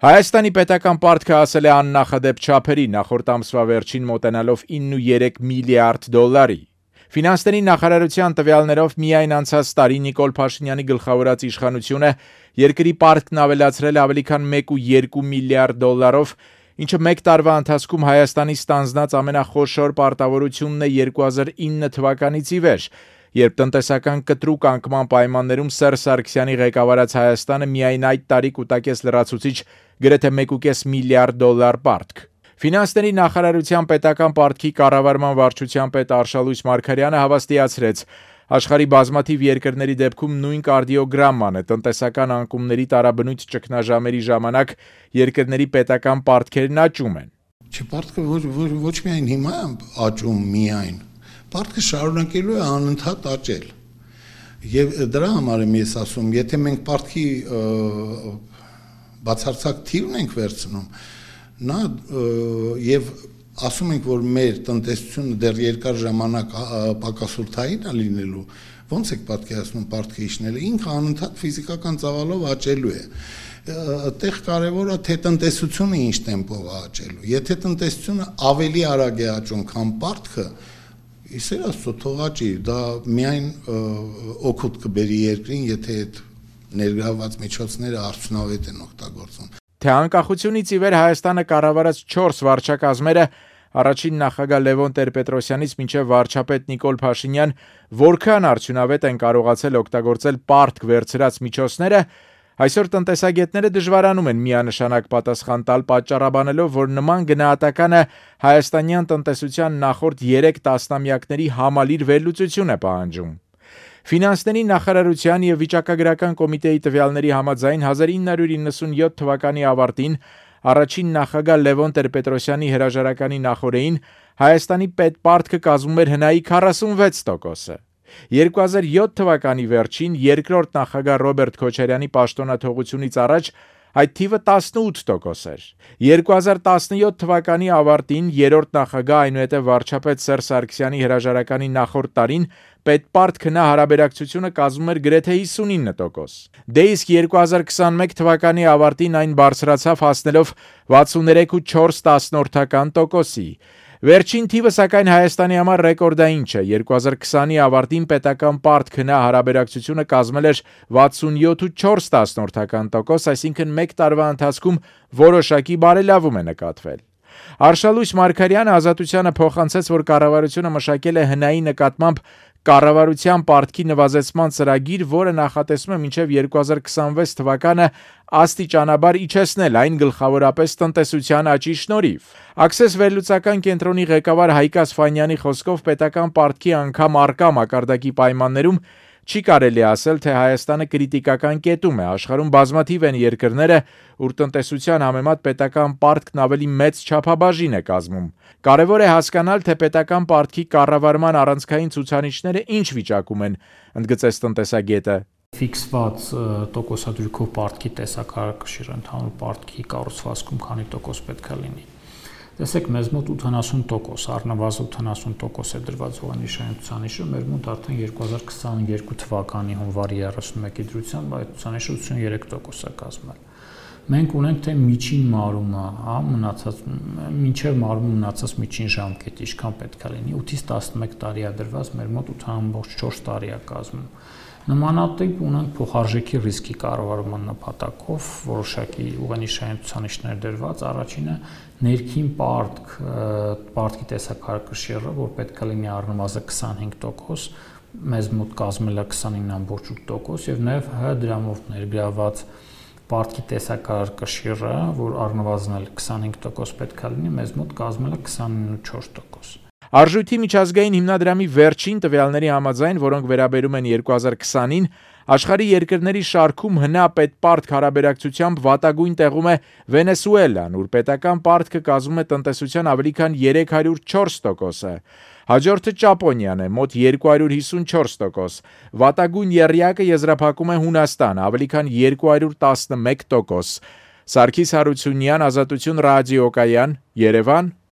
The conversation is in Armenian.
Հայաստանի պետական պարտքը ասել է աննախադեպ չափերի, նախորդ ամսվա վերջին մոտենալով 9.3 միլիարդ դոլարի։ Ֆինանսների նախարարության տվյալներով միայն անցած տարի Նիկոլ Փաշինյանի գլխավորած իշխանությունը երկրի պարտքն ավելացրել ավելի քան 1.2 միլիարդ դոլարով, ինչը մեկ տարվա ընթացքում Հայաստանի ստանձնած ամենախոշոր պարտավորությունն է 2009 թվականից ի վեր, երբ տնտեսական կտրուկ անկման պայմաններում Սերժ Սարգսյանի ղեկավարած Հայաստանը միայն այդ տարի կուտակեց լրացուցիչ գրեթե 1.5 միլիարդ դոլար պարտք։ Ֆինանսների նախարարության պետական պարտքի կառավարման վարչության պետ Արշալույս Մարգարյանը հավաստիացրեց, աշխարհի բազմաթիվ երկրների դեպքում նույն կարդիոգրաման է, տնտեսական անկումների տարաբնույթ ճգնաժամերի ժամանակ երկրների պետական պարտքերն աճում են։ Պարտքը ոչ միայն հիմա աճում միայն, պարտքը շարունակելու է անընդհատ աճել։ Եվ դրա համար եմ ես ասում, եթե մենք պարտքի բացարձակ թիվն ենք վերցնում, նա եւ ասում ենք, որ մեր տնտեսությունը դեռ երկար ժամանակ պակասորթային է լինելու, ոնց եք պատկերացնում պարտքը իջնելը, ինքը անընդհատ ֆիզիկական ծավալով աճելու է։ Այդտեղ կարևորը թե տնտեսությունը ինչ տեմպով է աճելու։ Եթե տնտեսությունը ավելի արագ է աճում, քան պարտքը, իսեր աստծո թող աճի, դա միայն օգուտ կբերի երկրին, եթե այդ ներգրավված միջոցները արդյունավետ են օգտագործվում։ Թե անկախությունից ի վեր Հայաստանը կառավարած 4 վարչակազմերը առաջին նախագահ Լևոն Տեր-Պետրոսյանից մինչև վարչապետ Նիկոլ Փաշինյան որքան արդյունավետ են կարողացել օգտագործել պարտք վերցրած միջոցները, այսօր տնտեսագետները դժվարանում են միանշանակ պատասխան տալ, պատճառաբանելով, որ նման գնահատականը հայաստանյան տնտեսության նախորդ 3 տասնամյակների համալիր վերլուծություն է պահանջում։ Ֆինանսների նախարարության եւ վիճակագրական կոմիտեի տվյալների համաձայն 1997 թվականի ավարտին առաջին նախագահ Լևոն Տեր-Պետրոսյանի հրաժարականի նախօրեին Հայաստանի պետպարտքը կազմում էր հնայի 46%-ը։ 2007 թվականի վերջին երկրորդ նախագահ Ռոբերտ Քոչարյանի պաշտոնաթողությունից առաջ այդ թիվը 18% էր։ 2017 թվականի ավարտին երրորդ նախագահ այնուհետև վարչապետ Սերժ Սարգսյանի հրաժարականի նախորդ տարին պետպարտքը հարաբերակցությունը կազմում էր գրեթե 59%։ Դե իսկ 2021 թվականի ավարտին այն բարձրացավ հասնելով 63.4%-ի։ Վերջին թիվը սակայն Հայաստանի համար ռեկորդային չէ։ 2020-ի ավարտին պետական պարտքը հարաբերակցությունը կազմել էր 67.4%, այսինքն մեկ տարվա ընթացքում որոշակի բարելավում է նկատվել։ Արշալույս Մարգարյանը Ազատությանը փոխանցեց, որ կառավարությունը մշակել է հնայի նկատմամբ կառավարության պարտքի նվազեցման ծրագիր, որը նախատեսում է մինչև 2026 թվականը աստիճանաբար իջեցնել այն գլխավորապես տնտեսության աճի շնորհիվ։ Access վերլուծական կենտրոնի ղեկավար Հայկ Ասֆանյանի խոսքով պետական պարտքի անգամ առկա մակարդակի պայմաններում չի կարելի ասել, թե Հայաստանը կրիտիկական կետում է։ Աշխարհում բազմաթիվ են երկրները, ուր տնտեսության համեմատ պետական պարտքն ավելի մեծ չափաբաժին է կազմում։ Կարևոր է հասկանալ, թե պետական պարտքի կառավարման առանցքային ցուցանիշները ինչ վիճակում են, ընդգծեց տնտեսագետը։ Ֆիքսված տոկոսադրույքով պարտքի տեսակարգը ընդհանուր պարտքի կառուցվածքում քանի տոկոս պետք է լինի։ Տեսեք, մեզ մոտ 80%, առնվազն 80% է դրված հողանիշային ցուցանիշը, մեր մոտ արդեն 2022 թվականի հունվարի 31-ի դրությամբ այդ ցուցանիշը 83% է կազմել։ Մենք ունենք թե միջին մարումը, մնացած մինչև մարումը մնացած միջին ժամկետը ինչքան պետք է լինի, 8-ից 11 տարի է դրված, մեր մոտ 8.4 տարի է կազմում։ Նմանատիպ ունենք փոխարժեքի ռիսկի կառավարման նպատակով որոշակի ուղենիշային ցուցանիշներ դրված, առաջինը ներքին պարտքի տեսակարգշիռը, որ պետք է լինի առնվազն 25%, մեզ մոտ կազմել է 29.8% եւ նաեւ դրամով ներգրաված պարտքի տեսակարգշիռը, որ առնվազն 25% պետք է լինի, մեզ մոտ կազմել է 29.4%։ Արժույթի միջազգային հիմնադրամի վերջին տվյալների համաձայն, որոնք վերաբերում են 2020-ին, աշխարհի երկրների շարքում հնա պետպարտք հարաբերակցությամբ վատագույն տեղում է Վենեսուելան, ուր պետական պարտքը կազմում է տնտեսության ավելի քան 304%-ը։ Հաջորդը Ճապոնիան է, մոտ 254%։ Վատագույն եռյակը եզրափակում է Հունաստանը, ավելի քան 211%։ Սարգիս Հարությունյան, Ազատություն ռադիոկայան, Երևան։